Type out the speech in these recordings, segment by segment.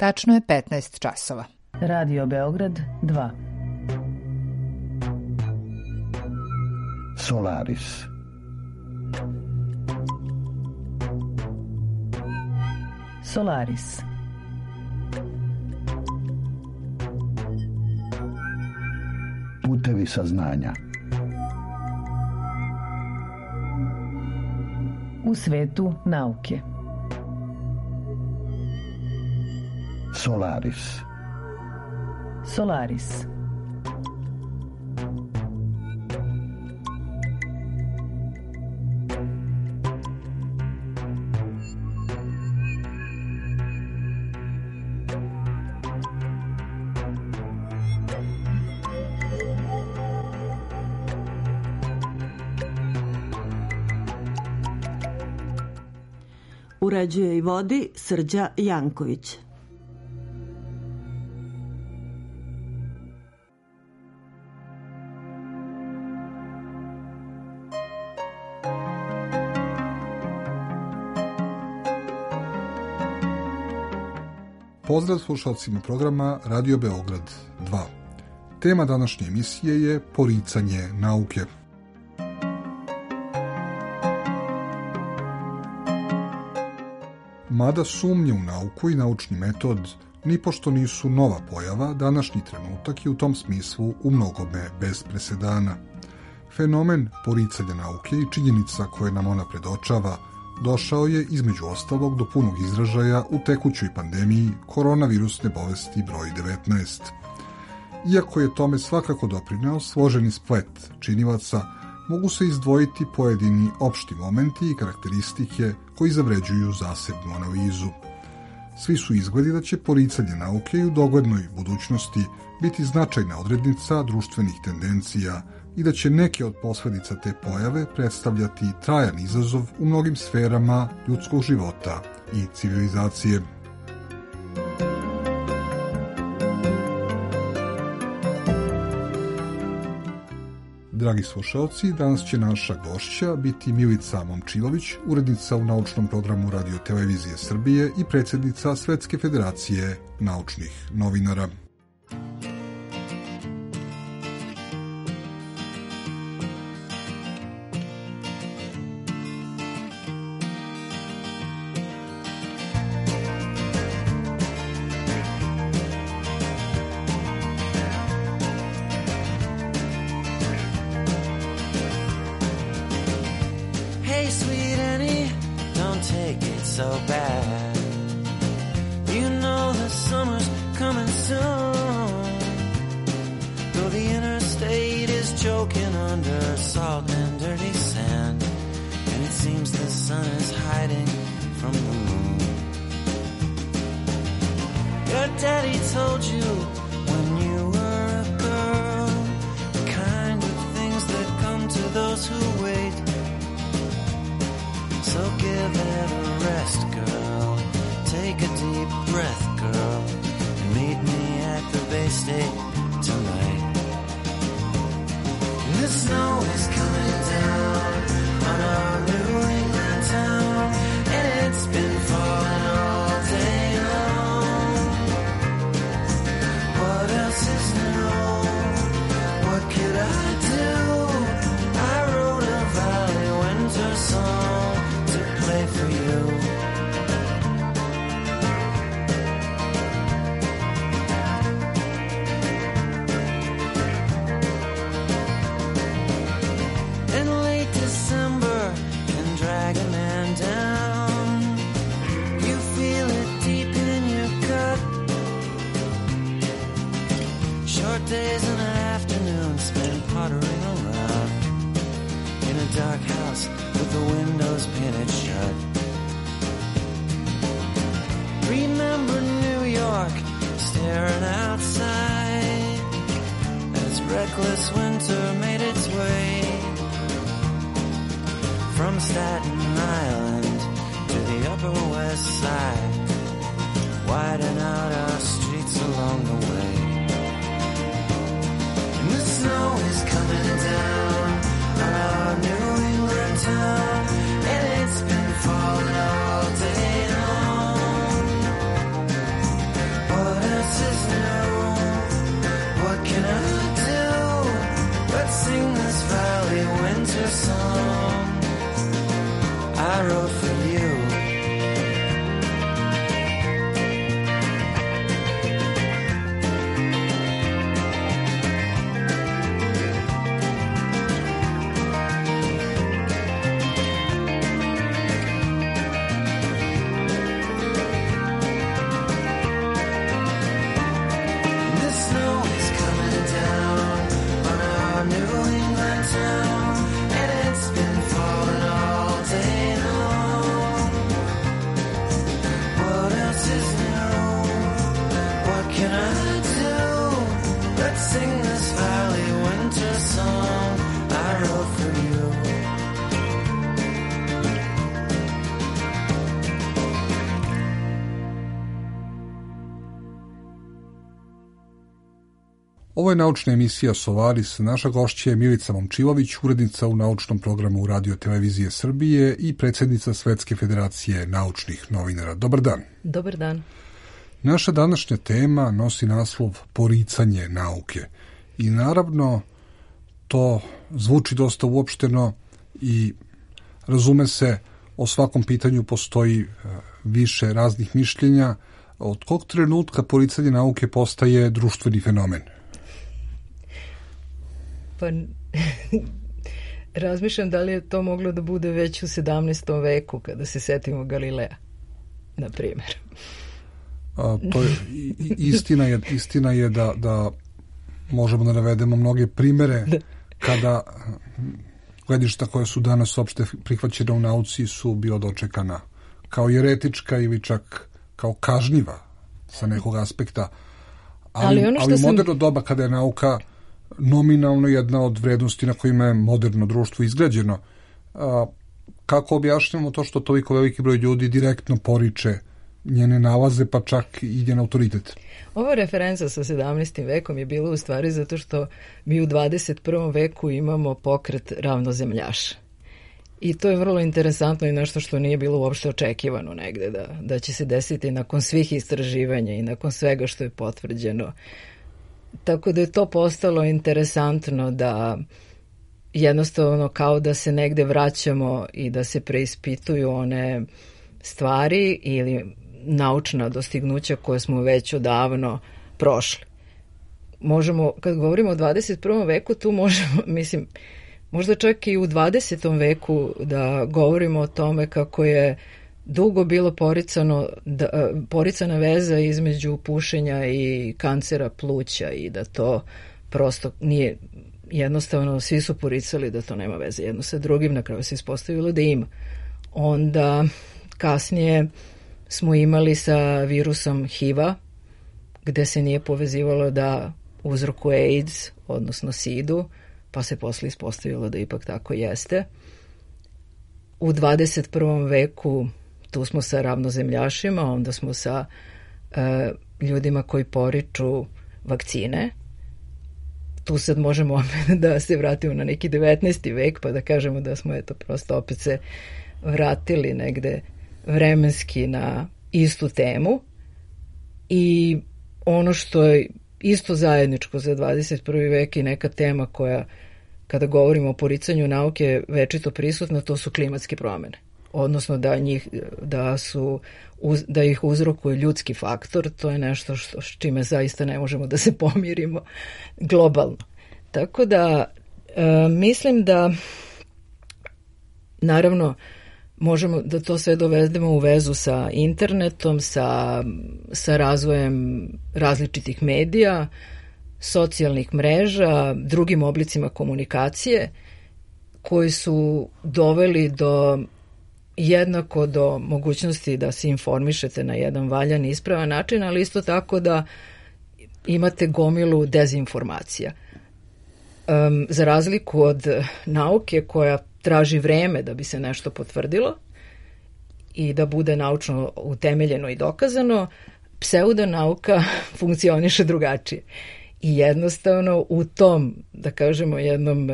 Tačno je 15 časova. Radio Beograd 2. Solaris. Solaris. Putevi saznanja. U svetu nauke. Solaris. Solaris. Uređuje i vodi Srđa Janković. Pozdrav slušalcima programa Radio Beograd 2. Tema današnje emisije je poricanje nauke. Mada sumnje u nauku i naučni metod nipošto nisu nova pojava, današnji trenutak je u tom smislu u mnogome bez presedana. Fenomen poricanja nauke i činjenica koje nam ona predočava došao je između ostalog do punog izražaja u tekućoj pandemiji koronavirusne bolesti broj 19. Iako je tome svakako doprineo složeni splet činilaca, mogu se izdvojiti pojedini opšti momenti i karakteristike koji zavređuju zasebnu analizu. Svi su izgledi da će poricanje nauke i u doglednoj budućnosti biti značajna odrednica društvenih tendencija i da će neke od posledica te pojave predstavljati trajan izazov u mnogim sferama ljudskog života i civilizacije. Dragi slušalci, danas će naša gošća biti Milica Momčilović, urednica u naučnom programu Radio Televizije Srbije i predsjednica Svetske federacije naučnih novinara. song I wrote for you. Ovo je naučna emisija Solaris. Naša gošća je Milica Momčilović, urednica u naučnom programu Radio Televizije Srbije i predsjednica Svetske federacije naučnih novinara. Dobar dan. Dobar dan. Naša današnja tema nosi naslov Poricanje nauke. I naravno, to zvuči dosta uopšteno i razume se, o svakom pitanju postoji više raznih mišljenja. Od kog trenutka poricanje nauke postaje društveni fenomen? Pa razmišljam da li je to moglo da bude već u 17. veku kada se setimo Galileja, na primjer. To je, istina je da možemo da navedemo mnoge primere kada gledišta koje su danas opšte prihvaćene u nauci su bila dočekana kao jeretička ili čak kao kažnjiva sa nekog aspekta. Ali moderno doba kada je nauka nominalno jedna od vrednosti na kojima je moderno društvo izgrađeno. Kako objašnjamo to što toliko veliki broj ljudi direktno poriče njene nalaze, pa čak i njen autoritet? Ova referenca sa 17. vekom je bila u stvari zato što mi u 21. veku imamo pokret ravnozemljaša. I to je vrlo interesantno i nešto što nije bilo uopšte očekivano negde, da će se desiti nakon svih istraživanja i nakon svega što je potvrđeno. Tako da je to postalo interesantno da jednostavno kao da se negde vraćamo i da se preispituju one stvari ili naučna dostignuća koje smo već odavno prošli. Možemo, kad govorimo o 21. veku, tu možemo, mislim, možda čak i u 20. veku da govorimo o tome kako je dugo bilo poricana veza između pušenja i kancera pluća i da to prosto nije jednostavno, svi su poricali da to nema veze jedno sa drugim, na kraju se ispostavilo da ima. Onda kasnije smo imali sa virusom HIV-a, gde se nije povezivalo da uzrokuje AIDS, odnosno SIDU, pa se posle ispostavilo da ipak tako jeste. U 21. veku tu smo sa ravnozemljašima, onda smo sa ljudima koji poriču vakcine. Tu sad možemo da se vratimo na neki 19. vek, pa da kažemo da smo prosto opet se vratili negde vremenski na istu temu. I ono što je isto zajedničko za 21. vek i neka tema koja, kada govorimo o poricanju nauke, večito prisutna, to su klimatske promene. Odnosno da ih uzrokuje ljudski faktor, to je nešto s čime zaista ne možemo da se pomirimo globalno. Tako da mislim da naravno možemo da to sve dovedemo u vezu sa internetom, sa razvojem različitih medija, socijalnih mreža, drugim oblicima komunikacije koji su doveli jednako do mogućnosti da se informišete na jedan valjan i ispravan način, ali isto tako da imate gomilu dezinformacija. Za razliku od nauke koja traži vreme da bi se nešto potvrdilo i da bude naučno utemeljeno i dokazano, pseudonauka funkcioniše drugačije. I jednostavno u tom, da kažemo, jednom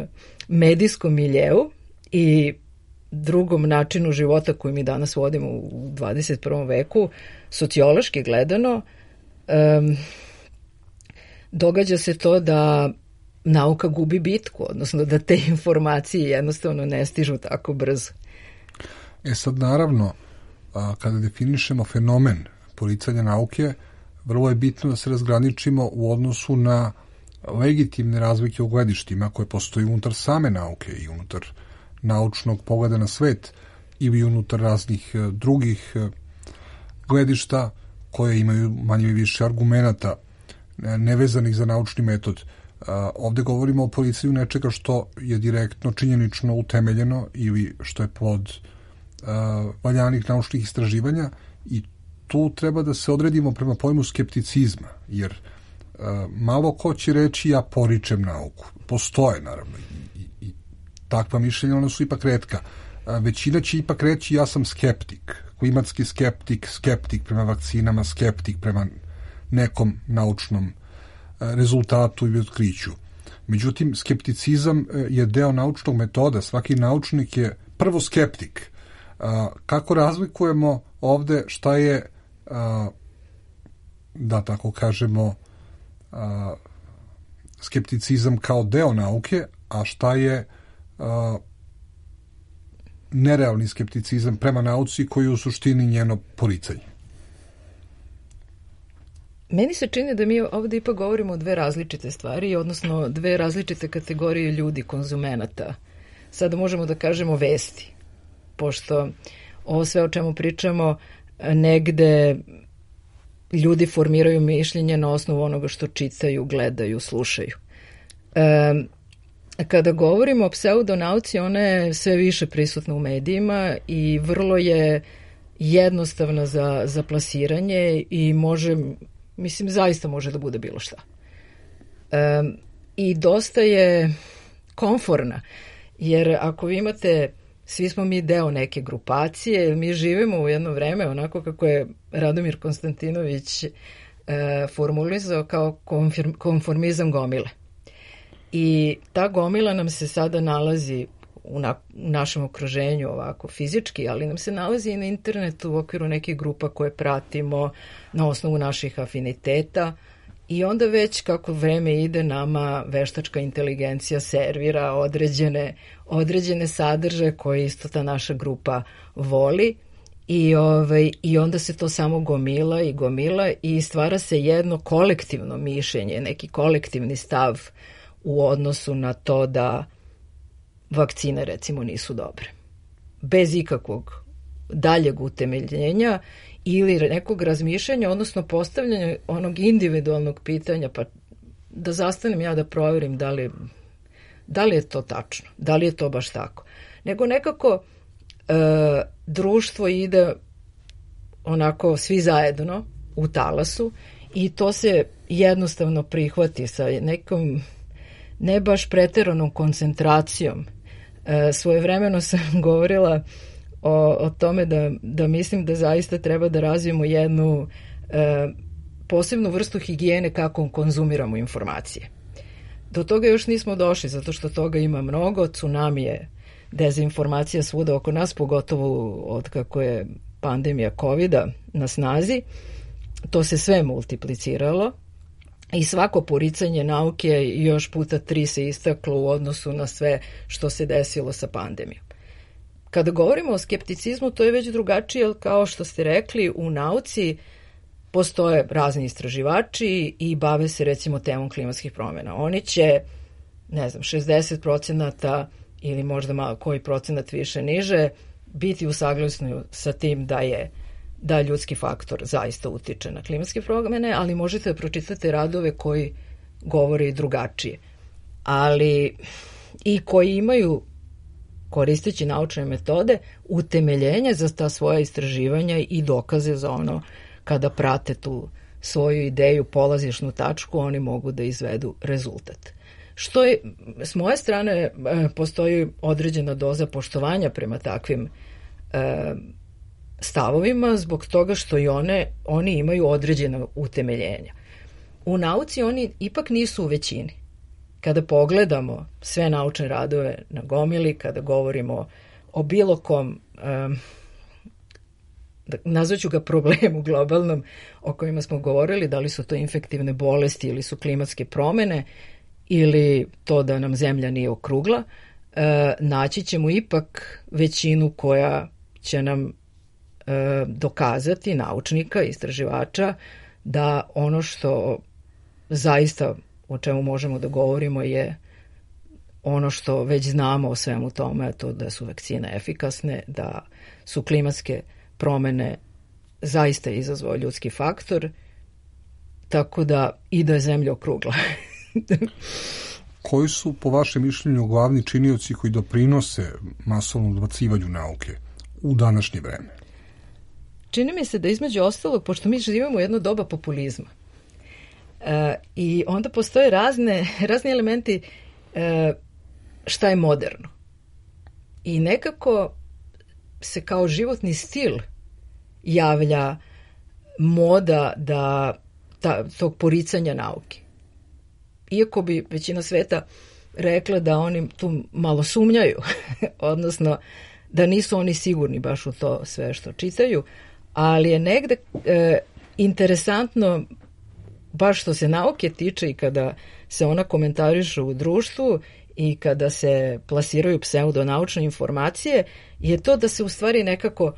medijskom miljeu i drugom načinu života koji mi danas vodimo u 21. veku, sociološki gledano, događa se to da nauka gubi bitku, odnosno da te informacije jednostavno ne stižu tako brzo. Sad naravno, kada definišemo fenomen poricanja nauke, vrlo je bitno da se razgraničimo u odnosu na legitimne razlike u gledištima koje postoji unutar same nauke i unutar naučnog pogleda na svet ili unutar raznih drugih gledišta koje imaju manje i više argumenata nevezanih za naučni metod. Ovde govorimo o poricanju nečega što je direktno činjenično utemeljeno ili što je plod valjanih naučnih istraživanja i tu treba da se odredimo prema pojmu skepticizma, jer malo ko će reći ja poričem nauku. Postoje, naravno, i takva mišljenja, ona su ipak retka. Većina će ipak reći ja sam skeptik, klimatski skeptik, skeptik prema vakcinama, skeptik prema nekom naučnom rezultatu ili otkriću. Međutim, skepticizam je deo naučnog metoda. Svaki naučnik je prvo skeptik. Kako razlikujemo ovde šta je, da tako kažemo, skepticizam kao deo nauke, a šta je nerealni skepticizam prema nauci koji je u suštini njeno poricanje? Meni se čini da mi ovdje ipak govorimo o dve različite stvari, odnosno dve različite kategorije ljudi, konzumenata. Sada možemo da kažemo vesti, pošto ovo sve o čemu pričamo negde ljudi formiraju mišljenje na osnovu onoga što čitaju, gledaju, slušaju. Kada govorimo o pseudonauci, ona je sve više prisutna u medijima i vrlo je jednostavna za plasiranje i može, mislim, zaista može da bude bilo šta. I dosta je komforna, jer ako vi imate, svi smo mi deo neke grupacije, mi živimo u jedno vreme onako kako je Radomir Konstantinović formulizao kao konformizam gomile. I ta gomila nam se sada nalazi u našem okruženju ovako fizički, ali nam se nalazi i na internetu u okviru nekih grupa koje pratimo na osnovu naših afiniteta i onda već kako vreme ide nama veštačka inteligencija servira određene sadržaje koje isto ta naša grupa voli i onda se to samo gomila i stvara se jedno kolektivno mišljenje, neki kolektivni stav u odnosu na to da vakcine recimo nisu dobre. Bez ikakvog daljeg utemeljenja ili nekog razmišljanja, odnosno postavljanja onog individualnog pitanja, pa da zastanem ja da proverim da li je to tačno, da li je to baš tako. Nego nekako društvo ide onako svi zajedno u talasu i to se jednostavno prihvati sa nekom ne baš preteranom koncentracijom. Svojevremeno sam govorila o tome da mislim da zaista treba da razvijemo jednu posebnu vrstu higijene kako konzumiramo informacije. Do toga još nismo došli, zato što toga ima mnogo, tsunami je dezinformacija svuda oko nas, pogotovo od kako je pandemija COVID-a na snazi. To se sve multipliciralo i svako poricanje nauke još puta 3 se istaklo u odnosu na sve što se desilo sa pandemijom. Kada govorimo o skepticizmu, to je već drugačije, jer kao što ste rekli, u nauci postoje razni istraživači i bave se recimo temom klimatskih promjena. Oni će, 60% ili možda malo koji procenat više niže, biti u saglasju sa tim da ljudski faktor zaista utiče na klimatske promjene, ali možete da pročitate radove koji govore i drugačije. Ali i koji imaju, koristeći naučne metode, utemeljenje za ta svoja istraživanja i dokaze za ono kada prate tu svoju ideju, polazišnu tačku, oni mogu da izvedu rezultat. Što je, s moje strane, postoji određena doza poštovanja prema takvim stavovima, zbog toga što i oni imaju određena utemeljenja. U nauci oni ipak nisu u većini. Kada pogledamo sve naučne radove na gomili, kada govorimo o bilo kom, nazvaću ga problemu globalnom o kojima smo govorili, da li su to infektivne bolesti ili su klimatske promjene, ili to da nam zemlja nije okrugla, naći ćemo ipak većinu koja će nam dokazati, naučnika, istraživača, da ono što zaista o čemu možemo da govorimo je ono što već znamo o svemu tome, to da su vakcine efikasne, da su klimatske promene zaista izazvao ljudski faktor, tako da i da je zemlja okrugla. Koji su, po vašem mišljenju, glavni činioci koji doprinose masovnom odbacivanju nauke u današnje vreme? Čini mi se da između ostalog, pošto mi živimo u jedno doba populizma, i onda postoje razni elementi šta je moderno. I nekako se kao životni stil javlja moda da tog poricanja nauke. Iako bi većina sveta rekla da oni tu malo sumnjaju, odnosno da nisu oni sigurni baš u to sve što čitaju, ali je negde interesantno baš što se nauke tiče i kada se ona komentarišu u društvu i kada se plasiraju pseudonaučne informacije, je to da se u stvari nekako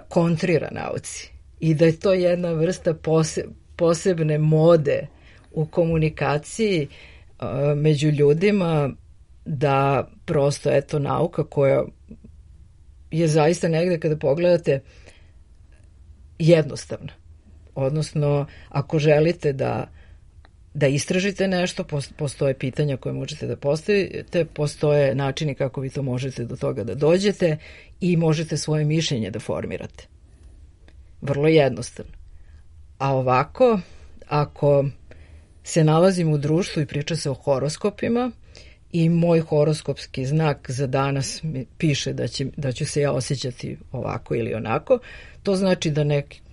kontrira nauci i da je to jedna vrsta posebne mode u komunikaciji među ljudima, da prosto eto nauka koja je zaista negde kada pogledate jednostavna. Odnosno, ako želite da istražite nešto, postoje pitanja koje možete da postavite, postoje načini kako vi to možete do toga da dođete i možete svoje mišljenje da formirate. Vrlo jednostavno. A ovako, ako se nalazim u društvu i priča se o horoskopima i moj horoskopski znak za danas mi piše da ću se ja osjećati ovako ili onako, to znači da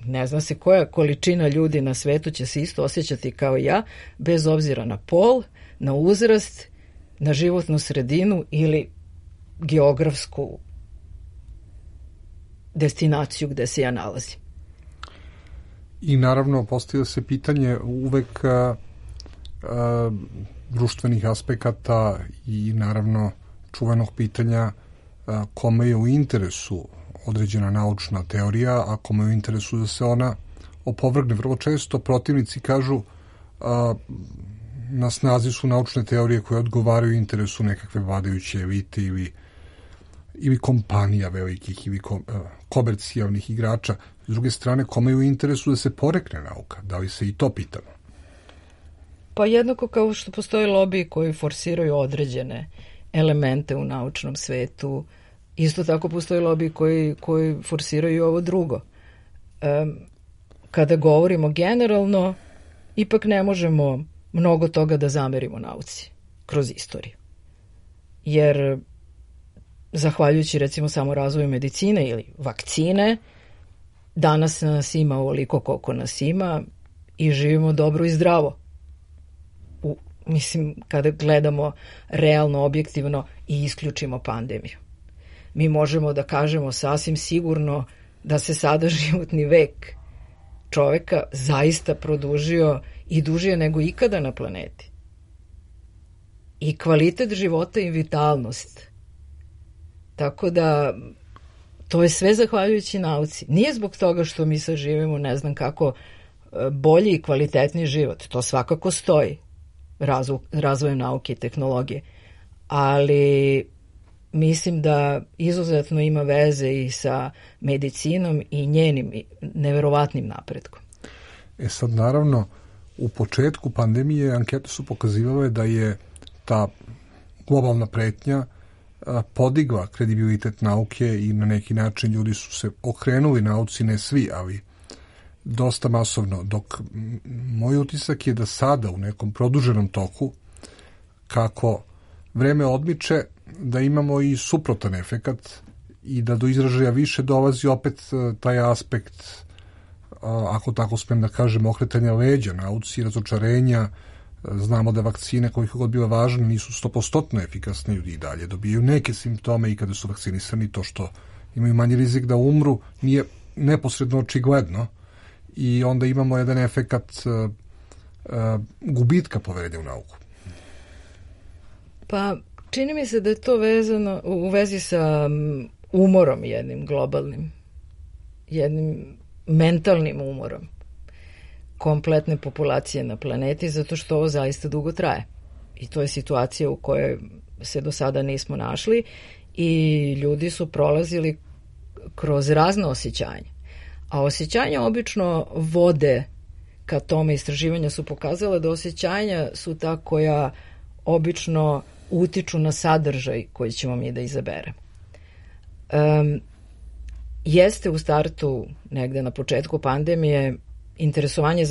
ne zna se koja količina ljudi na svetu će se isto osjećati kao ja, bez obzira na pol, na uzrast, na životnu sredinu ili geografsku destinaciju gde se ja nalazim. I naravno postavlja se pitanje uvek društvenih aspekata i naravno čuvenog pitanja kome je u interesu određena naučna teorija, a kome je u interesu da se ona opovrgne. Vrlo često protivnici kažu na snazi su naučne teorije koje odgovaraju interesu nekakve vladajuće elite ili kompanija velikih ili komercijalnih igrača. S druge strane, kome je u interesu da se porekne nauka? Da li se i to pitamo? Pa jednako kao što postoje lobiji koji forsiraju određene elemente u naučnom svetu, isto tako postoje lobiji koji forsiraju ovo drugo. Kada govorimo generalno, ipak ne možemo mnogo toga da zamerimo nauci kroz istoriju. Jer zahvaljujući recimo samo razvoju medicine ili vakcine, danas nas ima ovoliko koliko nas ima i živimo dobro i zdravo. Mislim, kada gledamo realno, objektivno i isključimo pandemiju. Mi možemo da kažemo sasvim sigurno da se sada životni vek čoveka zaista produžio i dužije nego ikada na planeti. I kvalitet života i vitalnost. Tako da to je sve zahvaljujući nauci. Nije zbog toga što mi sad živimo ne znam kako bolji i kvalitetniji život. To svakako stoji razvojem nauke i tehnologije. Ali mislim da izuzetno ima veze i sa medicinom i njenim neverovatnim napretkom. Sad naravno, u početku pandemije ankete su pokazivale da je ta globalna pretnja podigla kredibilitet nauke i na neki način ljudi su se okrenuli nauci, ne svi, ali dosta masovno, dok moj utisak je da sada u nekom produženom toku, kako vreme odmiče, da imamo i suprotan efekat i da do izražaja više dolazi opet taj aspekt, ako tako smem da kažem, okretanja leđa nauci, razočarenja. Znamo da vakcine, koliko god bile važne, nisu 100% efikasne, ljudi i dalje dobijaju neke simptome i kada su vakcinisani, to što imaju manji rizik da umru nije neposredno očigledno i onda imamo jedan efekat gubitka poverenja u nauku. Pa čini mi se da je to vezano u vezi sa umorom jednim globalnim, jednim mentalnim umorom kompletne populacije na planeti, zato što ovo zaista dugo traje. I to je situacija u kojoj se do sada nismo našli i ljudi su prolazili kroz razne osjećanja. A osjećanja obično vode ka tome. Istraživanja su pokazala da osjećanja su ta koja obično utiču na sadržaj koji ćemo mi da izaberemo. Jeste u startu, negde na početku pandemije, interesovanje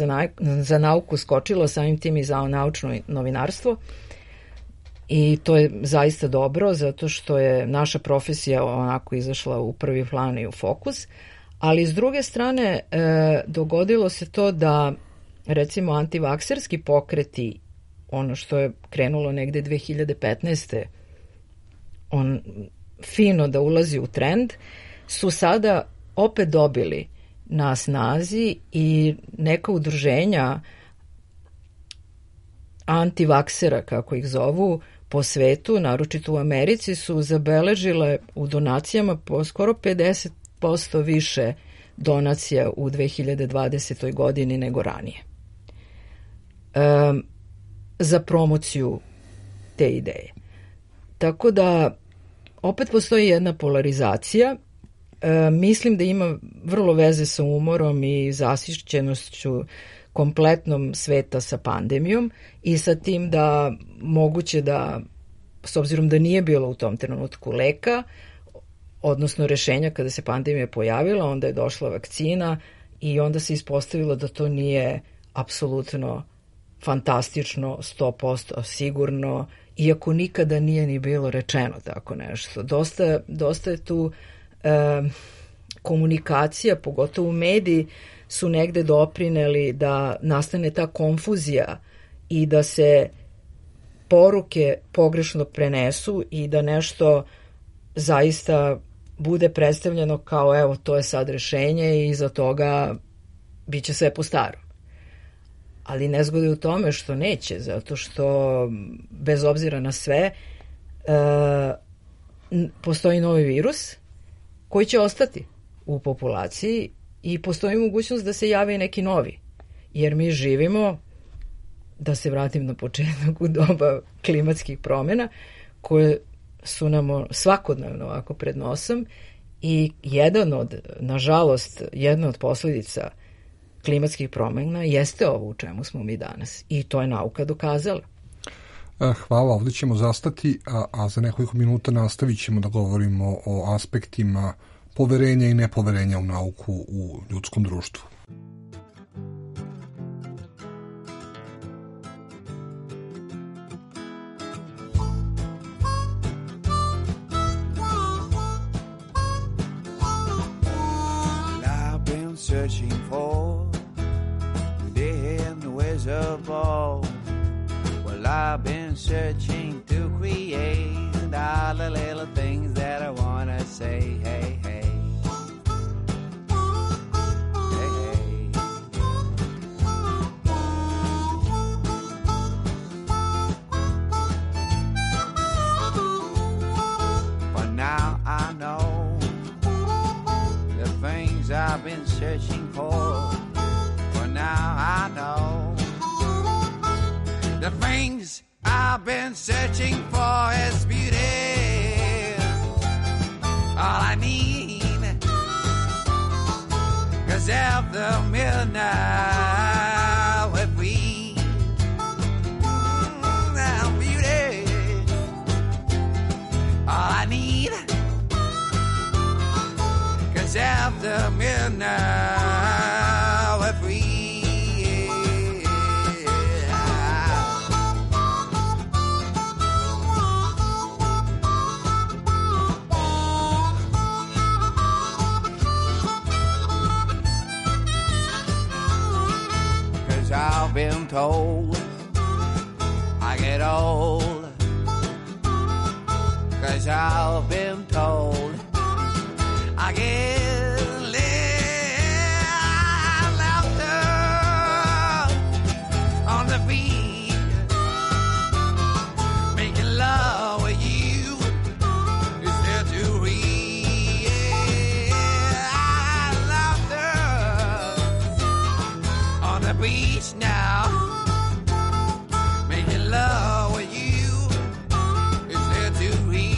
za nauku skočilo, samim tim i za naučno novinarstvo, i to je zaista dobro, zato što je naša profesija onako izašla u prvi plan i u fokus, ali s druge strane dogodilo se to da recimo antivakserski pokreti, ono što je krenulo negde 2015. on fino da ulazi u trend, su sada opet dobili na snazi i neka udruženja antivaksera, kako ih zovu, po svetu, naročito u Americi, su zabeležile u donacijama po skoro 50% više donacija u 2020. godini nego ranije. Za promociju te ideje. Tako da opet postoji jedna polarizacija. Mislim da ima vrlo veze sa umorom i zasićenošću kompletnom sveta sa pandemijom i sa tim da moguće da, s obzirom da nije bilo u tom trenutku leka, odnosno rešenja kada se pandemija pojavila, onda je došla vakcina i onda se ispostavilo da to nije apsolutno fantastično, 100% sigurno, iako nikada nije ni bilo rečeno tako nešto. Dosta je tu komunikacija, pogotovo mediji, su negde doprineli da nastane ta konfuzija i da se poruke pogrešno prenesu i da nešto zaista bude predstavljeno kao evo to je sad rešenje i iza toga bit će sve po starom. Ali nezgoda je u tome što neće, zato što bez obzira na sve postoji novi virus koji će ostati u populaciji i postoji mogućnost da se javi neki novi. Jer mi živimo, da se vratim na početak, u doba klimatskih promjena koje su nam svakodnevno ovako pred nosom i nažalost, jedna od posljedica klimatskih promjena jeste ovo u čemu smo mi danas. I to je nauka dokazala. Hvala, ovdje ćemo zastati, a za nekoliko minuta nastavit ćemo da govorimo o aspektima poverenja i nepoverenja u nauku u ljudskom društvu. I've been searching for the hidden wizard ball. Well, I've been searching to create all the little things that I want to say. Hey, hey. I've been searching for now I know the things I've been searching for is beauty, all I need, 'cause after midnight we're free, now beauty, all I need, after midnight we're free. 'Cause I've been told I get old, 'cause I've been told I get laughter on the beat, making love wish now. Making love with you is there to read.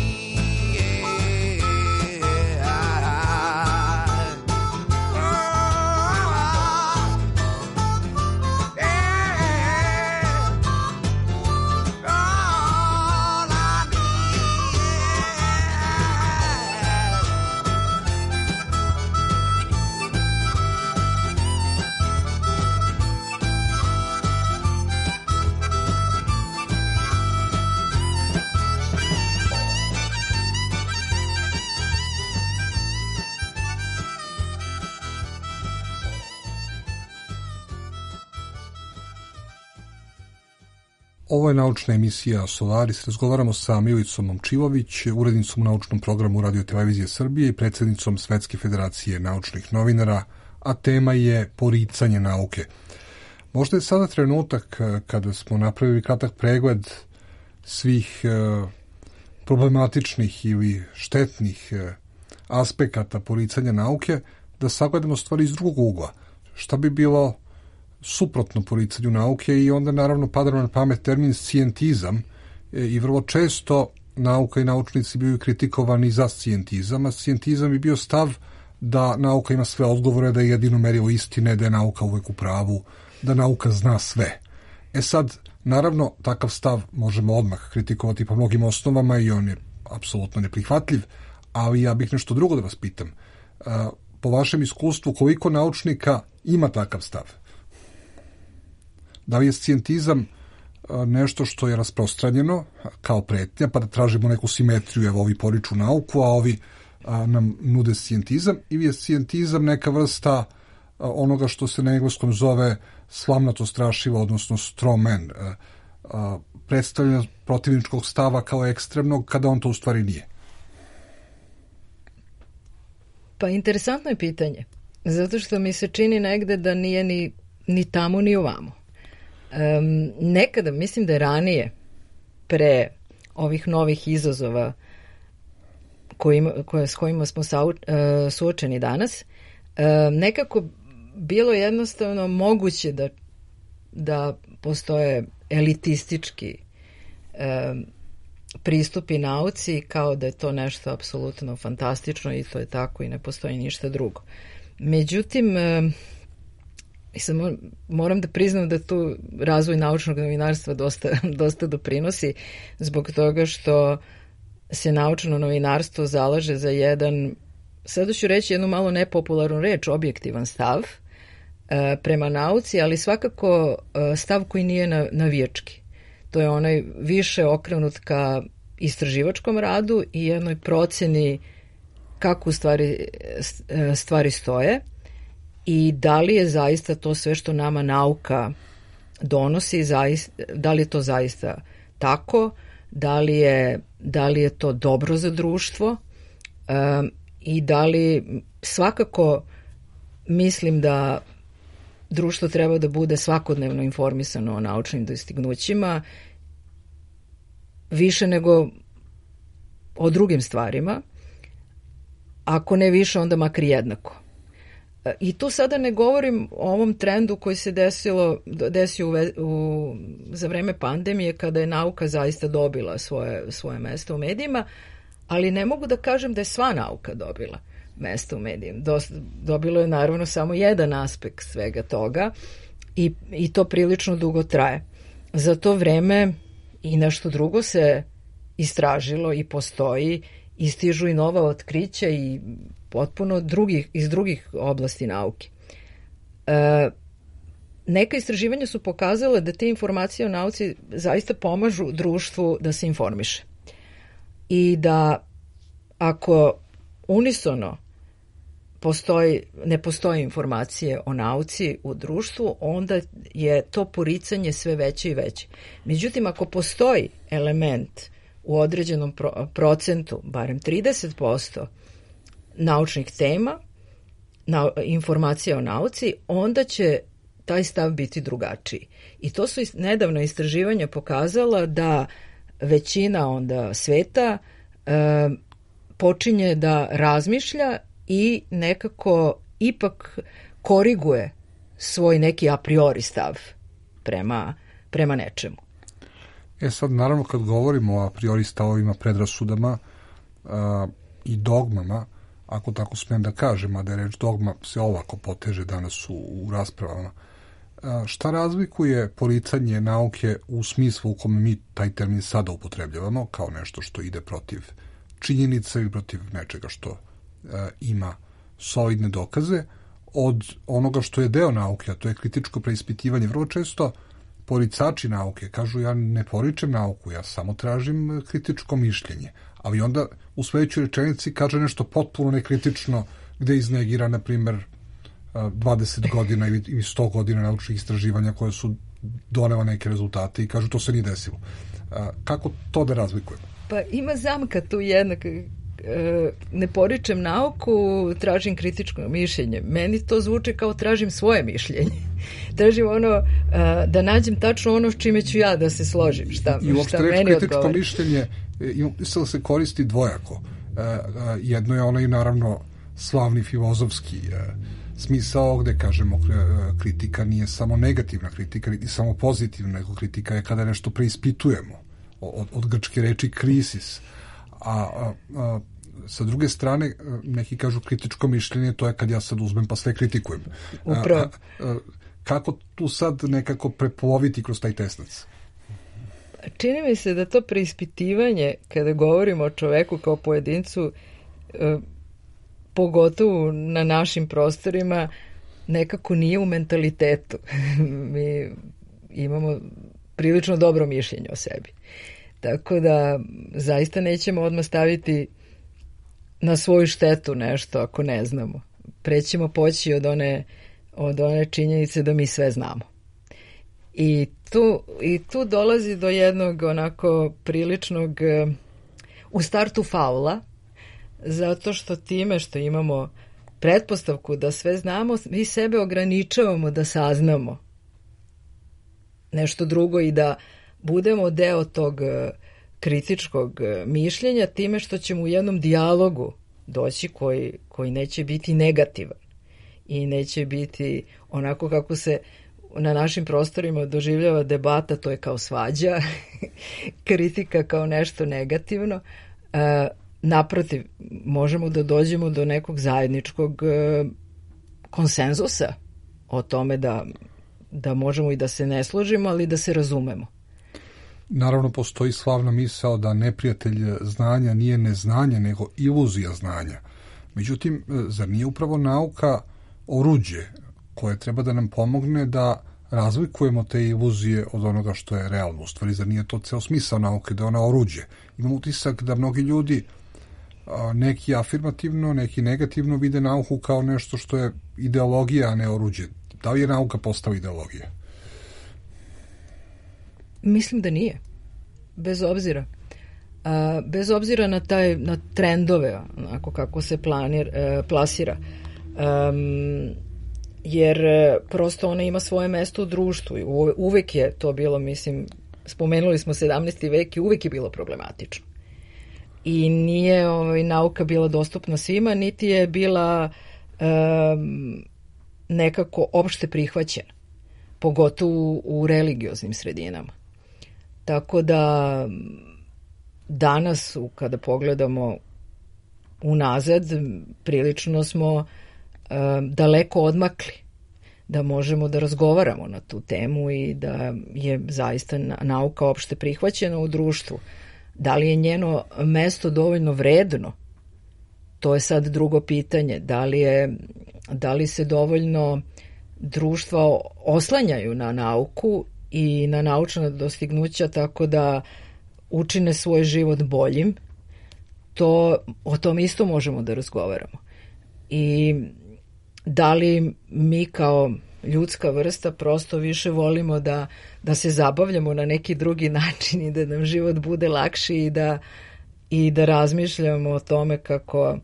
Ovo je naučna emisija Solaris. Razgovaramo sa Milicom Momčilović, urednicom u naučnom programu Radio Televizije Srbije i predsjednicom Svetske federacije naučnih novinara, a tema je poricanje nauke. Možda je sada trenutak kada smo napravili kratak pregled svih problematičnih ili štetnih aspekata poricanja nauke, da sagledamo stvari iz drugog ugla. Šta bi bilo suprotno poricanju nauke i onda naravno pada na pamet termin scijentizam i vrlo često nauka i naučnici bili kritikovani za scijentizam, a scijentizam bi bio stav da nauka ima sve odgovore, da je jedino merilo istine, da je nauka uvek u pravu, da nauka zna sve. Sad, naravno, takav stav možemo odmah kritikovati po mnogim osnovama i on je apsolutno neprihvatljiv, ali ja bih nešto drugo da vas pitam. Po vašem iskustvu, koliko naučnika ima takav stav? Da li je scijentizam nešto što je rasprostranjeno kao pretnja, pa da tražimo neku simetriju, evo ovi poriču nauku, a ovi nam nude scijentizam, ili je scijentizam neka vrsta onoga što se na engleskom zove slamnato strašivo, odnosno straw man, predstavljanja protivničkog stava kao ekstremnog, kada on to u stvari nije? Pa interesantno je pitanje, zato što mi se čini negde da nije ni tamo ni ovamo. Nekada, mislim da je ranije, pre ovih novih izazova s kojima smo suočeni danas, nekako bilo jednostavno moguće da postoje elitistički pristupi nauci, kao da je to nešto apsolutno fantastično i to je tako i ne postoji ništa drugo. Međutim, moram da priznam da tu razvoj naučnog novinarstva dosta doprinosi, zbog toga što se naučno novinarstvo zalaže za jedan, sada ću reći jednu malo nepopularnu reč, objektivan stav prema nauci, ali svakako stav koji nije navijački. To je onaj više okrenut ka istraživačkom radu i jednoj proceni kako stvari stoje i da li je zaista to sve što nama nauka donosi, da li je to zaista tako, da li je to dobro za društvo i da li svakako mislim da društvo treba da bude svakodnevno informisano o naučnim dostignućima više nego o drugim stvarima, ako ne više onda makar jednako. I tu sada ne govorim o ovom trendu koji se desio za vreme pandemije, kada je nauka zaista dobila svoje mesto u medijima, ali ne mogu da kažem da je sva nauka dobila mesto u medijima. Dobilo je naravno samo jedan aspekt svega toga i to prilično dugo traje. Za to vreme i nešto drugo se istražilo i postoji, istižu i nova otkrića i potpuno iz drugih oblasti nauke. Neka istraživanja su pokazale da te informacije o nauci zaista pomažu društvu da se informiše. I da ako unisono ne postoje informacije o nauci u društvu, onda je to poricanje sve veće i veće. Međutim, ako postoji element u određenom procentu, barem 30% naučnih tema, informacija o nauci, onda će taj stav biti drugačiji. I to su nedavno istraživanja pokazala da većina onda sveta počinje da razmišlja i nekako ipak koriguje svoj neki a priori stav prema nečemu. Sad, naravno, kad govorimo o a priori stavovima, predrasudama i dogmama, ako tako smijem da kažem, a da je reč dogma se ovako poteže danas u raspravama, šta razlikuje poricanje nauke u smislu u kome mi taj termin sada upotrebljavamo, kao nešto što ide protiv činjenica i protiv nečega što ima solidne dokaze, od onoga što je deo nauke, a to je kritičko preispitivanje. Vrlo često poricači nauke kažu ja ne poričem nauku, ja samo tražim kritičko mišljenje. Ali onda u sledećoj rečenici kaže nešto potpuno nekritično gde iznegira, na primjer, 20 godina ili 100 godina naučnih istraživanja koje su donela neke rezultate i kažu to se nije desilo. Kako to da razlikujemo? Pa ima zamka tu jednak. Ne poričem nauku, tražim kritičko mišljenje. Meni to zvuči kao tražim svoje mišljenje. Tražim da nađem tačno ono s čime ću ja da se složim. Šta meni kritičko odgovara. Mišljenje se koristi dvojako. Jedno je onaj, naravno, slavni filozofski smisao gde kažemo kritika nije samo negativna kritika, niti samo pozitivna, nego kritika je kada nešto preispitujemo. Od grčke reči krisis. A sa druge strane, neki kažu kritičko mišljenje, to je kad ja sad uzmem pa sve kritikujem. Upravo. Kako tu sad nekako prepoloviti kroz taj tesnac? Čini mi se da to preispitivanje, kada govorimo o čoveku kao pojedincu, pogotovo na našim prostorima, nekako nije u mentalitetu. Mi imamo prilično dobro mišljenje o sebi. Tako da zaista nećemo odmah staviti na svoju štetu nešto ako ne znamo. Prećemo poći od one činjenice da mi sve znamo. I tu dolazi do jednog onako priličnog u startu faula, zato što time što imamo pretpostavku da sve znamo, mi sebe ograničavamo da saznamo nešto drugo i da budemo deo tog kritičkog mišljenja time što ćemo u jednom dijalogu doći koji neće biti negativan i neće biti onako kako se na našim prostorima doživljava debata, to je kao svađa, kritika kao nešto negativno. Naprotiv, možemo da dođemo do nekog zajedničkog konsenzusa o tome da možemo i da se ne složimo, ali da se razumemo. Naravno, postoji slavna misao da neprijatelj znanja nije neznanje, nego iluzija znanja. Međutim, zar nije upravo nauka oruđe koje treba da nam pomogne da razlikujemo te iluzije od onoga što je realno? U stvari, zar nije to ceo smisao nauke, da je ona oruđe? Imam utisak da mnogi ljudi, neki afirmativno, neki negativno, vide nauku kao nešto što je ideologija, a ne oruđe. Da li je nauka postala ideologija? Mislim da nije. Bez obzira. Bez obzira na trendove, onako kako se plasira. Jer prosto ona ima svoje mesto u društvu. Uvek je to bilo, mislim, spomenuli smo 17. vek i uvek je bilo problematično. I nije nauka bila dostupna svima, niti je bila nekako opšte prihvaćena. Pogotovo u religioznim sredinama. Tako da danas, kada pogledamo unazad, prilično smo daleko odmakli da možemo da razgovaramo na tu temu i da je zaista nauka opšte prihvaćena u društvu. Da li je njeno mesto dovoljno vredno? To je sad drugo pitanje. Da li se dovoljno društva oslanjaju na nauku i na naučna dostignuća tako da učine svoj život boljim? O tom isto možemo da razgovaramo. I da li mi kao ljudska vrsta prosto više volimo da se zabavljamo na neki drugi način i da nam život bude lakši i da razmišljamo o tome kako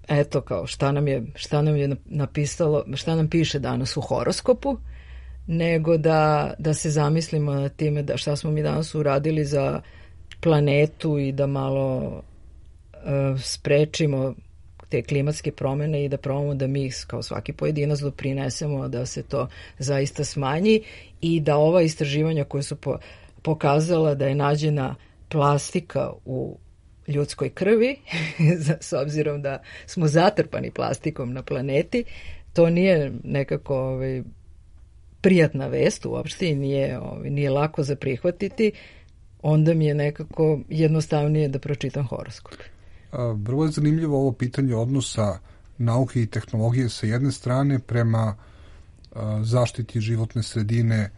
eto kao šta nam je napisalo, šta nam piše danas u horoskopu, nego da se zamislimo na time šta smo mi danas uradili za planetu i da malo sprečimo te klimatske promjene i da probamo da mi kao svaki pojedinac doprinesemo da se to zaista smanji i da ova istraživanja koje su pokazala da je nađena plastika u ljudskoj krvi, s obzirom da smo zatrpani plastikom na planeti, to nije nekako prijatna vest uopšte i nije lako za prihvatiti, onda mi je nekako jednostavnije da pročitam horoskop. Vrlo je zanimljivo ovo pitanje odnosa nauke i tehnologije sa jedne strane prema zaštiti životne sredine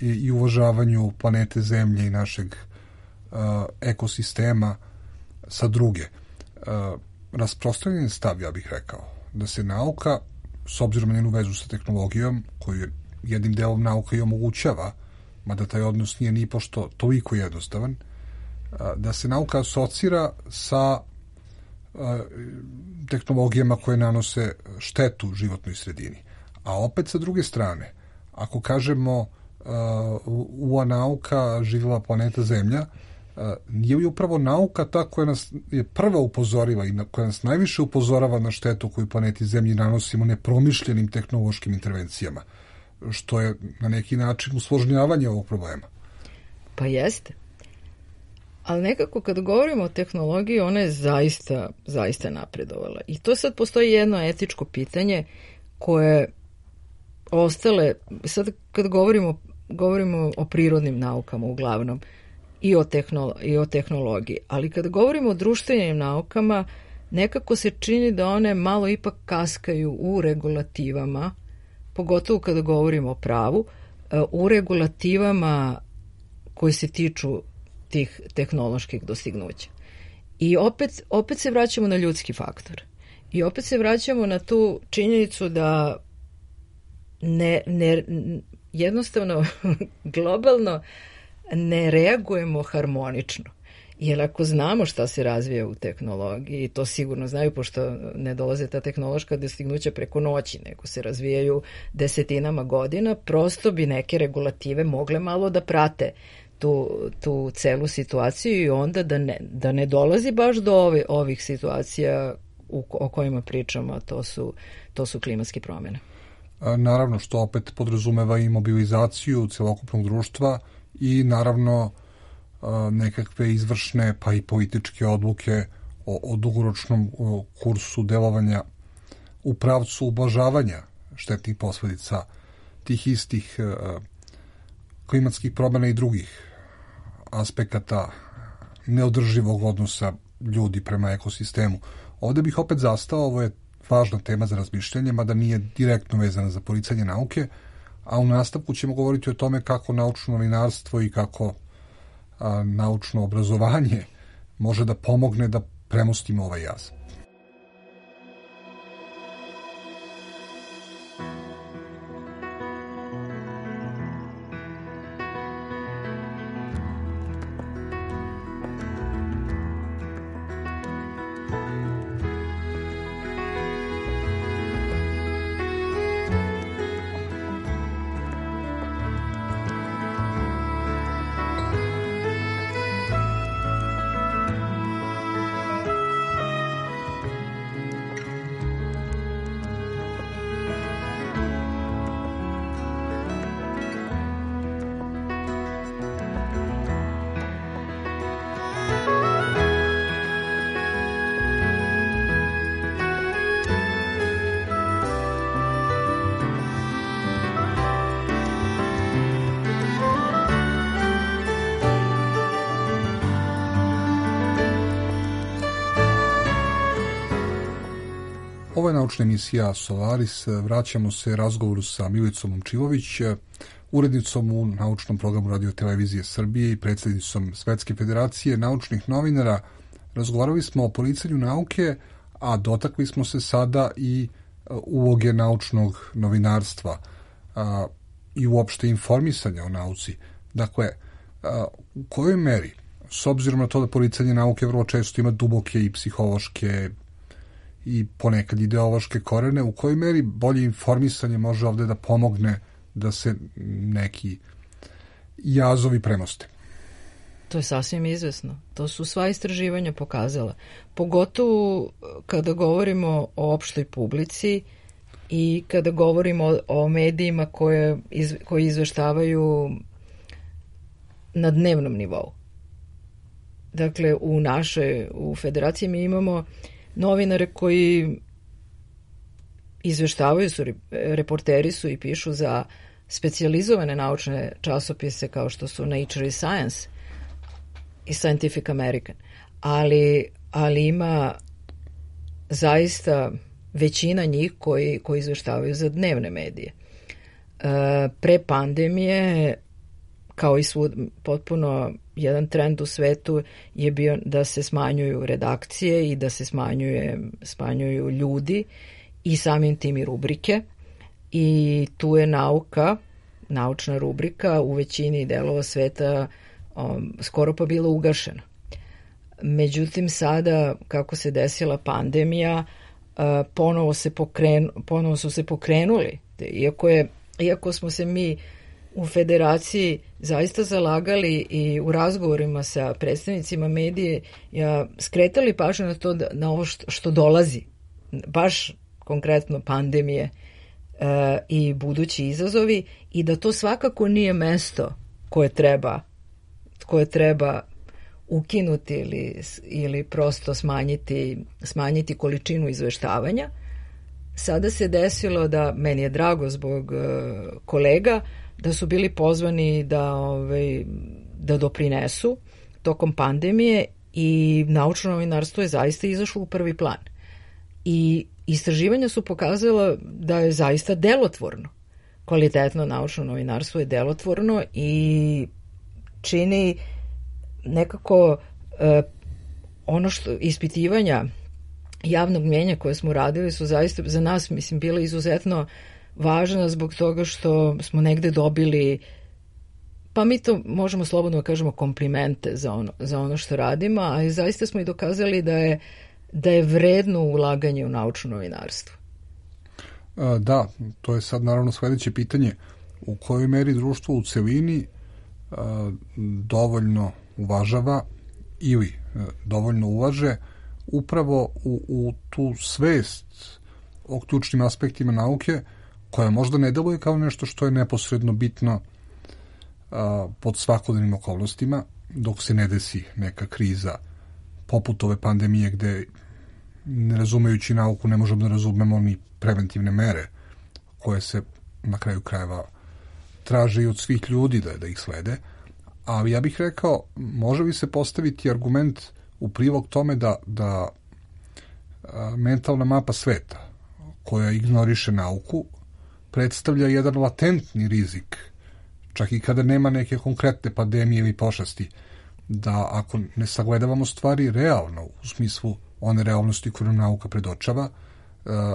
i uvažavanju planete Zemlje i našeg ekosistema sa druge. Rasprostranjen stav, ja bih rekao, da se nauka, s obzirom na njenu vezu sa tehnologijom, koju jednim delom nauka i omogućava, mada taj odnos nije ni pošto toliko jednostavan, da se nauka asocira sa tehnologijama koje nanose štetu životnoj sredini. A opet sa druge strane, ako kažemo ua nauka živjela planeta Zemlja, nije li upravo nauka ta koja nas je prva upozorila i koja nas najviše upozorava na štetu koju planeti Zemlji nanosimo nepromišljenim tehnološkim intervencijama, što je na neki način usložnjavanje ovog problema. Pa jeste. Ali nekako kad govorimo o tehnologiji, ona je zaista napredovala. I to sad postoji jedno etičko pitanje koje ostale, sad kad govorimo o prirodnim naukama uglavnom i o tehnologiji, ali kad govorimo o društvenim naukama, nekako se čini da one malo ipak kaskaju u regulativama, pogotovo kada govorimo o pravu, u regulativama koje se tiču tih tehnoloških dostignuća. I opet se vraćamo na ljudski faktor. I opet se vraćamo na tu činjenicu da jednostavno globalno ne reagujemo harmonično. Jer ako znamo šta se razvija u tehnologiji, to sigurno znaju, pošto ne dolaze ta tehnološka dostignuća preko noći, nego se razvijaju desetinama godina, prosto bi neke regulative mogle malo da prate tu celu situaciju i onda da ne dolazi baš do ovih situacija o kojima pričamo, a to su klimatske promjene. Naravno, što opet podrazumeva i mobilizaciju celokupnog društva i naravno nekakve izvršne pa i političke odluke o dugoročnom kursu delovanja u pravcu ublažavanja štetnih posledica tih istih klimatskih promjena i drugih aspekata neodrživog odnosa ljudi prema ekosistemu. Ovdje bih opet zastao, ovo je važna tema za razmišljanje, mada nije direktno vezana za poricanje nauke, a u nastavku ćemo govoriti o tome kako naučno novinarstvo i kako naučno obrazovanje može da pomogne da premostimo ovaj jaz. Ovo je naučna emisija Solaris. Vraćamo se razgovoru sa Milicom Momčilović, urednicom u naučnom programu Radio Televizije Srbije i predsjednicom Svetske federacije naučnih novinara. Razgovarali smo o poricanju nauke, a dotakli smo se sada i uloge naučnog novinarstva i uopšte informisanja o nauci. Dakle, u kojoj meri, s obzirom na to da poricanje nauke vrlo često ima duboke i psihološke i ponekad ideološke korene, u kojoj meri bolje informisanje može ovdje da pomogne da se neki jazovi premoste? To je sasvim izvesno. To su sva istraživanja pokazala. Pogotovo kada govorimo o opštoj publici i kada govorimo o medijima koji izveštavaju na dnevnom nivou. Dakle, u federaciji mi imamo novinare koji izveštavaju, reporteri su i pišu za specijalizovane naučne časopise kao što su Nature i Science i Scientific American. Ali ima zaista većina njih koji izveštavaju za dnevne medije. Pre pandemije, kao i svud, potpuno jedan trend u svetu je bio da se smanjuju redakcije i da se smanjuju ljudi i samim tim i rubrike. I tu je naučna rubrika u većini delova sveta skoro pa bila ugašena. Međutim, sada, kako se desila pandemija, ponovo su se pokrenuli. Iako smo se mi u federaciji zaista zalagali i u razgovorima sa predstavnicima medije, skretali pažnju na to, na ovo što dolazi, baš konkretno pandemije i budući izazovi, i da to svakako nije mesto koje treba ukinuti ili prosto smanjiti količinu izveštavanja. Sada se desilo da, meni je drago zbog kolega, da su bili pozvani da doprinesu tokom pandemije i naučno novinarstvo je zaista izašlo u prvi plan. I istraživanja su pokazala da je zaista delotvorno. Kvalitetno naučno novinarstvo je delotvorno i čini nekako ono što ispitivanja javnog mnjenja koje smo radili su zaista za nas, mislim, bile izuzetno važna zbog toga što smo negde dobili, pa mi to možemo slobodno kažemo, komplimente za ono što radimo, a zaista smo i dokazali da je vredno ulaganje u naučno novinarstvo. Da, to je sad naravno sledeće pitanje. U kojoj meri društvo u celini dovoljno uvažava ili dovoljno ulaže upravo u tu svest o ključnim aspektima nauke, koja možda ne deluje kao nešto što je neposredno bitno pod svakodnevnim okolnostima, dok se ne desi neka kriza poput ove pandemije, gde, ne razumejući nauku, ne možemo da razumemo ni preventivne mere koje se na kraju krajeva traže i od svih ljudi da ih slede. Ali ja bih rekao, može li se postaviti argument u prilog tome da mentalna mapa sveta koja ignoriše nauku predstavlja jedan latentni rizik, čak i kada nema neke konkretne pandemije ili pošasti, da ako ne sagledavamo stvari realno, u smislu one realnosti koju nam nauka predočava,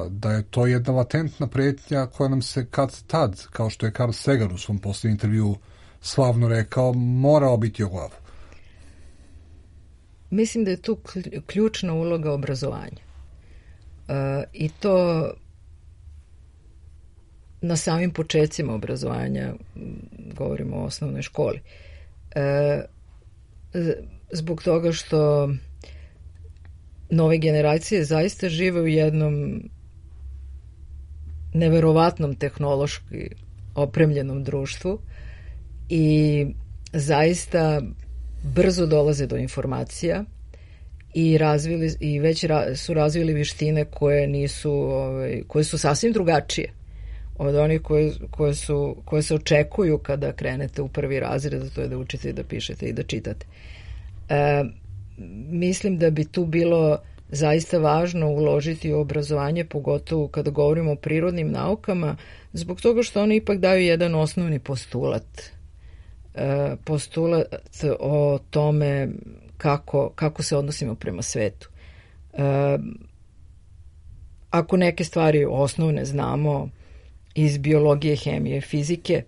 da je to jedna latentna pretnja koja nam se kad tad, kao što je Carl Sagan u svom posljednjem intervjuu slavno rekao, mora obiti o glavu. Mislim da je tu ključna uloga obrazovanja. I to na samim početcima obrazovanja, govorimo o osnovnoj školi. Zbog toga što nove generacije zaista žive u jednom neverovatnom tehnološki opremljenom društvu i zaista brzo dolaze do informacija i već su razvili vještine koje su sasvim drugačije od onih koje se očekuju kada krenete u prvi razred, a to je da učite i da pišete i da čitate. Mislim da bi tu bilo zaista važno uložiti u obrazovanje, pogotovo kada govorimo o prirodnim naukama, zbog toga što oni ipak daju jedan osnovni postulat o tome kako se odnosimo prema svetu. Ako neke stvari osnovne znamo iz biologije, hemije, fizike,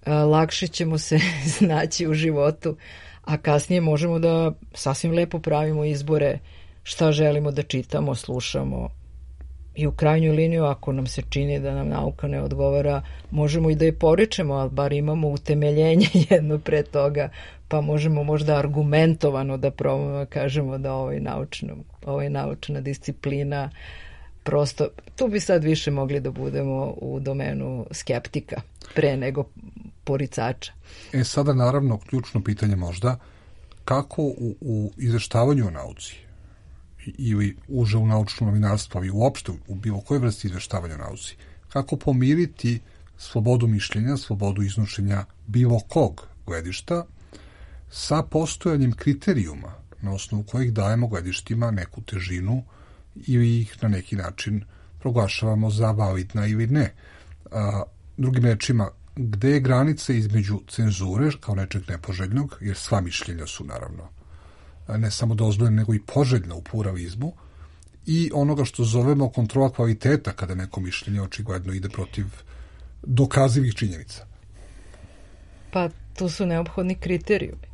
lakše ćemo se snaći u životu, a kasnije možemo da sasvim lepo pravimo izbore šta želimo da čitamo, slušamo I u krajnju liniju, ako nam se čini da nam nauka ne odgovara, možemo i da je poričemo, ali bar imamo utemeljenje jedno pre toga, pa možemo možda argumentovano da kažemo da ovo je naučna disciplina. Prosto, tu bi sad više mogli da budemo u domenu skeptika pre nego poricača. Sada naravno ključno pitanje možda, kako u izveštavanju o nauci ili uže u naučno novinarstvo i uopšte u bilo kojoj vrsti izveštavanja o nauci, kako pomiriti slobodu mišljenja, slobodu iznošenja bilo kog gledišta sa postojanjem kriterijuma na osnovu kojih dajemo gledištima neku težinu ili ih na neki način proglašavamo za validna ili ne. Drugim rečima, gde je granica između cenzure kao nečeg nepoželjnog, jer sva mišljenja su naravno ne samo dozvoljena, nego i poželjna u pluralizmu, i onoga što zovemo kontrola kvaliteta, kada neko mišljenje očigledno ide protiv dokazivih činjenica. Pa tu su neophodni kriterijumi.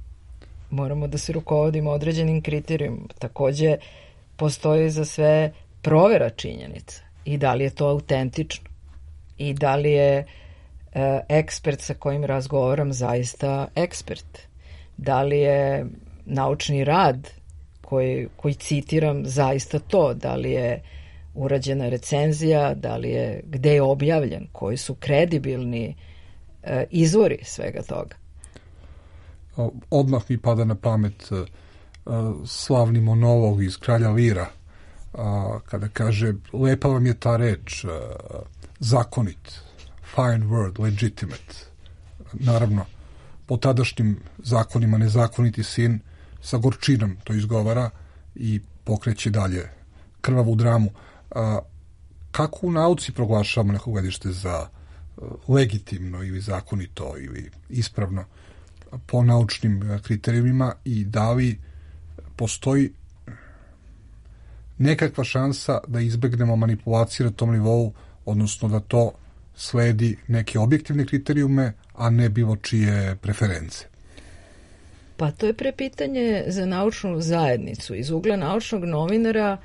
Moramo da se rukovodimo određenim kriterijumom. Takođe, postoji za sve provera činjenica i da li je to autentično i da li je ekspert sa kojim razgovaram zaista ekspert. Da li je naučni rad koji citiram zaista to, da li je urađena recenzija, da li je, gde je objavljen, koji su kredibilni izvori svega toga. Odmah mi pada na pamet slavni monolog iz Kralja Lira, kada kaže, lepa vam je ta reč, zakonit, fine word, legitimate. Naravno, po tadašnjim zakonima nezakoniti sin sa gorčinom to izgovara i pokreće dalje krvavu dramu. Kako u nauci proglašavamo neko gledište za legitimno ili zakonito ili ispravno po naučnim kriterijumima, i da li postoji nekakva šansa da izbegnemo manipulacije na tom nivou, odnosno da to sledi neke objektivne kriterijume, a ne bilo čije preference? Pa to je prepitanje za naučnu zajednicu. Iz ugla naučnog novinara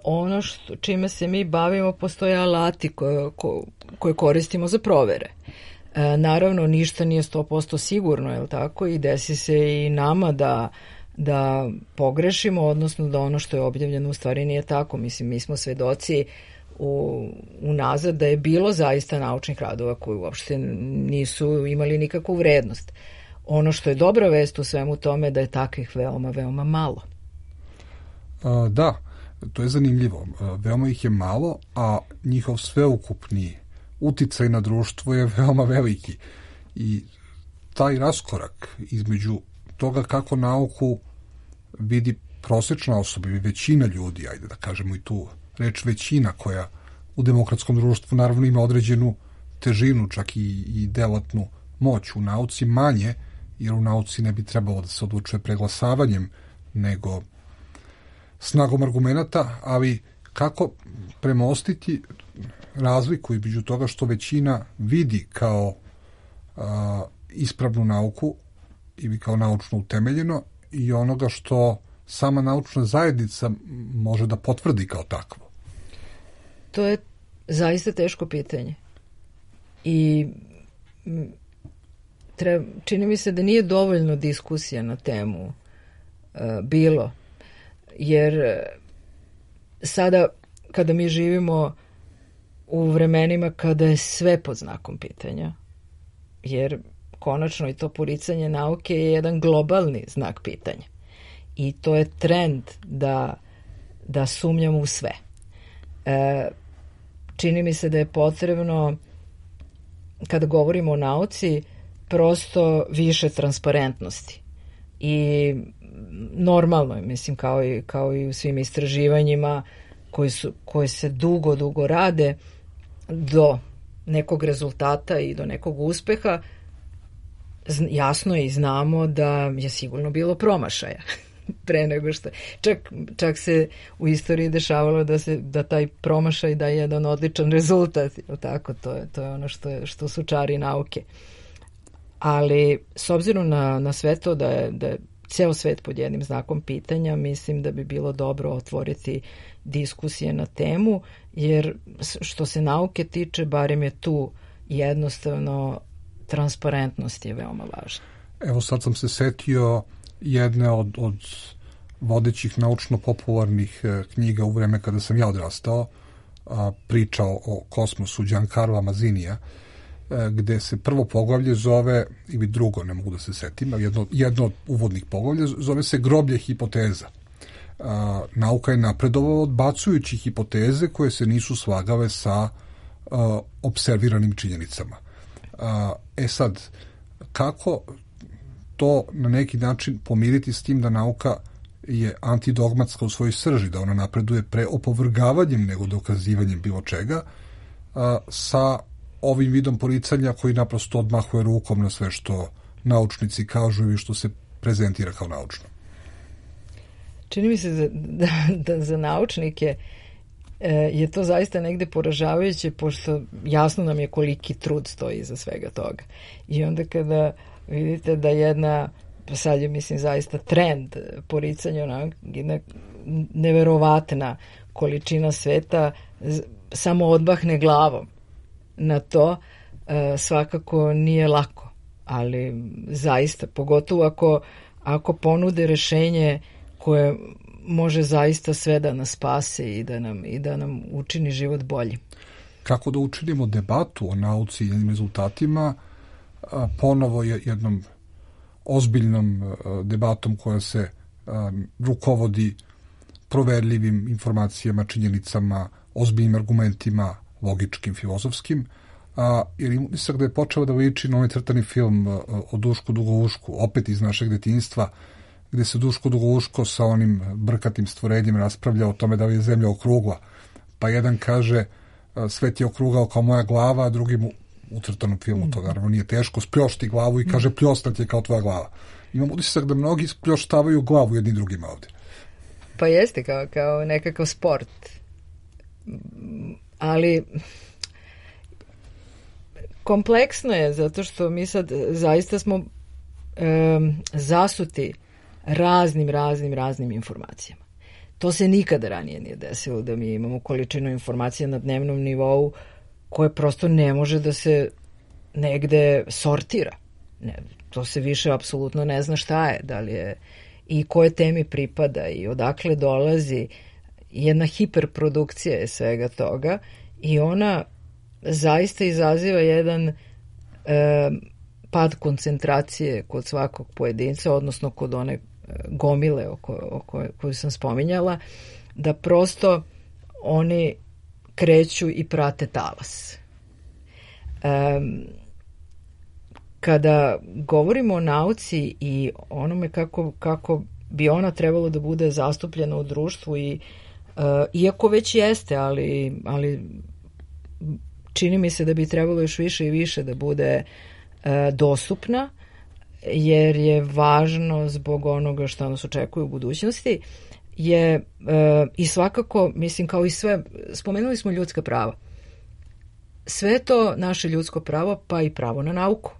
ono čime se mi bavimo, postoje alati koje koristimo za provere. Naravno, ništa nije 100% sigurno, je li tako? I desi se i nama da pogrešimo, odnosno da ono što je objavljeno u stvari nije tako. Mislim, mi smo svedoci unazad da je bilo zaista naučnih radova koji uopšte nisu imali nikakvu vrednost. Ono što je dobra vest u svemu tome da je takvih veoma, veoma malo. Da, to je zanimljivo. Veoma ih je malo, a njihov sveukupni uticaj na društvo je veoma veliki. I taj raskorak između toga kako nauku vidi prosečna osoba ili većina ljudi, ajde da kažemo i tu reč većina, koja u demokratskom društvu naravno ima određenu težinu, čak i delatnu moć, u nauci manje, jer u nauci ne bi trebalo da se odlučuje preglasavanjem, nego snagom argumenata, ali kako premostiti razliku između toga što većina vidi kao ispravnu nauku ili kao naučno utemeljeno i onoga što sama naučna zajednica može da potvrdi kao takvo? To je zaista teško pitanje. I čini mi se da nije dovoljno diskusija na temu bilo. Jer sada kada mi živimo u vremenima kada je sve pod znakom pitanja, jer konačno i to poricanje nauke je jedan globalni znak pitanja. I to je trend da sumnjamo u sve. Čini mi se da je potrebno, kada govorimo o nauci, prosto više transparentnosti. I normalno je, mislim, kao i u svim istraživanjima koje se dugo rade, do nekog rezultata i do nekog uspeha, jasno je i znamo da je sigurno bilo promašaja pre nego što. Čak se u istoriji dešavalo da taj promašaj daje jedan odličan rezultat. Tako, to je ono što su čari nauke. Ali s obzirom na sve to da je ceo svet pod jednim znakom pitanja. Mislim da bi bilo dobro otvoriti diskusije na temu, jer što se nauke tiče, barem je tu jednostavno transparentnost je veoma važna. Evo sad sam se setio jedne od vodećih naučno-popularnih knjiga u vreme kada sam ja odrastao, pričao o kosmosu Giancarla Mazzinija, gde se prvo poglavlje zove, ili drugo, ne mogu da se setim, ali jedno od uvodnih poglavlja zove se Groblje hipoteza. Nauka je napredovala odbacujući hipoteze koje se nisu slagale sa observiranim činjenicama. Sad, kako to na neki način pomiriti s tim da nauka je antidogmatska u svojoj srži, da ona napreduje pre opovrgavanjem nego dokazivanjem bilo čega, sa ovim vidom poricanja koji naprosto odmahuje rukom na sve što naučnici kažu ili što se prezentira kao naučno. Čini mi se da za naučnike je to zaista negde poražavajuće, pošto jasno nam je koliki trud stoji iza svega toga. I onda kada vidite da jedna, sad je mislim zaista trend poricanja, jedna neverovatna količina sveta samo odbahne glavom na to, svakako nije lako. Ali zaista, pogotovo ako ponude rešenje koje može zaista sve da nas spase i da nam učini život bolji. Kako da učinimo debatu o nauci i njenim rezultatima ponovo je jednom ozbiljnom debatom koja se rukovodi proverljivim informacijama, činjenicama, ozbiljnim argumentima, logičkim, filozofskim, jer im utisak da je počeo da liči na ovaj crtani film o Dušku Dugoušku, opet iz našeg detinjstva, gde se Duško Dugouško sa onim brkatim stvorenjem raspravlja o tome da li je zemlja okrugla. Pa jedan kaže svet je okrugao kao moja glava, a drugi mu u crtanom filmu, to naravno nije teško, spljošti glavu i kaže pljostat je kao tvoja glava. Imam utisak da mnogi spljoštavaju glavu jednim drugima ovde. Pa jeste, kao nekakav sport. Ali kompleksno je, zato što mi sad zaista smo zasuti raznim informacijama. To se nikada ranije nije desilo, da mi imamo količinu informacija na dnevnom nivou koje prosto ne može da se negde sortira. Ne, to se više apsolutno ne zna šta je, da li je i koje temi pripada i odakle dolazi. Jedna hiperprodukcija je svega toga i ona zaista izaziva jedan pad koncentracije kod svakog pojedinca, odnosno kod one gomile koju sam spominjala, da prosto oni kreću i prate talas. Kada govorimo o nauci i onome kako bi ona trebalo da bude zastupljena u društvu i iako već jeste, ali čini mi se da bi trebalo još više i više da bude dostupna, jer je važno zbog onoga što nas očekuje u budućnosti, je i svakako, mislim, kao i sve, spomenuli smo ljudska prava. Sve to naše ljudsko pravo, pa i pravo na nauku.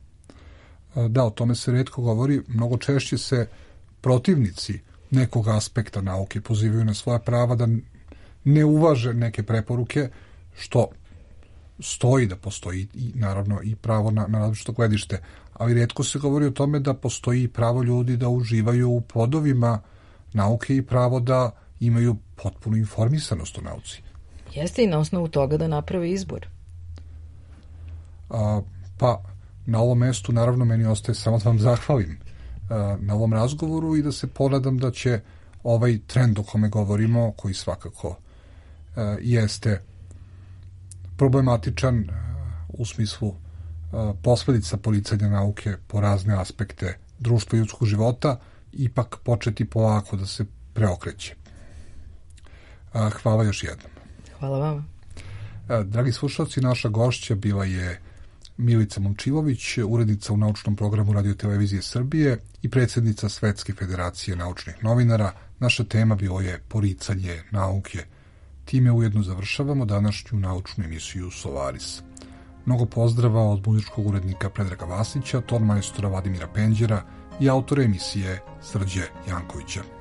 Da, o tome se retko govori. Mnogo češće se protivnici nekog aspekta nauke pozivaju na svoja prava da ne uvaže neke preporuke, što stoji da postoji i naravno i pravo na različito gledište, ali retko se govori o tome da postoji pravo ljudi da uživaju u plodovima nauke i pravo da imaju potpunu informisanost o nauci. Jeste, i na osnovu toga da naprave izbor. Pa na ovom mestu naravno meni ostaje samo da vam zahvalim na ovom razgovoru i da se ponadam da će ovaj trend o kome govorimo, koji svakako jeste problematičan u smislu posledica poricanja nauke po razne aspekte društva i ljudskog života, ipak početi polako da se preokreće. Hvala još jednom. Hvala vama. Dragi slušalci, naša gošća bila je Milica Momčilović, urednica u naučnom programu Radio-televizije Srbije i predsjednica Svetske federacije naučnih novinara. Naša tema bilo je poricanje nauke. Time ujedno završavamo današnju naučnu emisiju Solaris. Mnogo pozdrava od muzičkog urednika Predraga Vasića, ton majstora Vladimira Penđera i autor emisije Srđe Jankovića.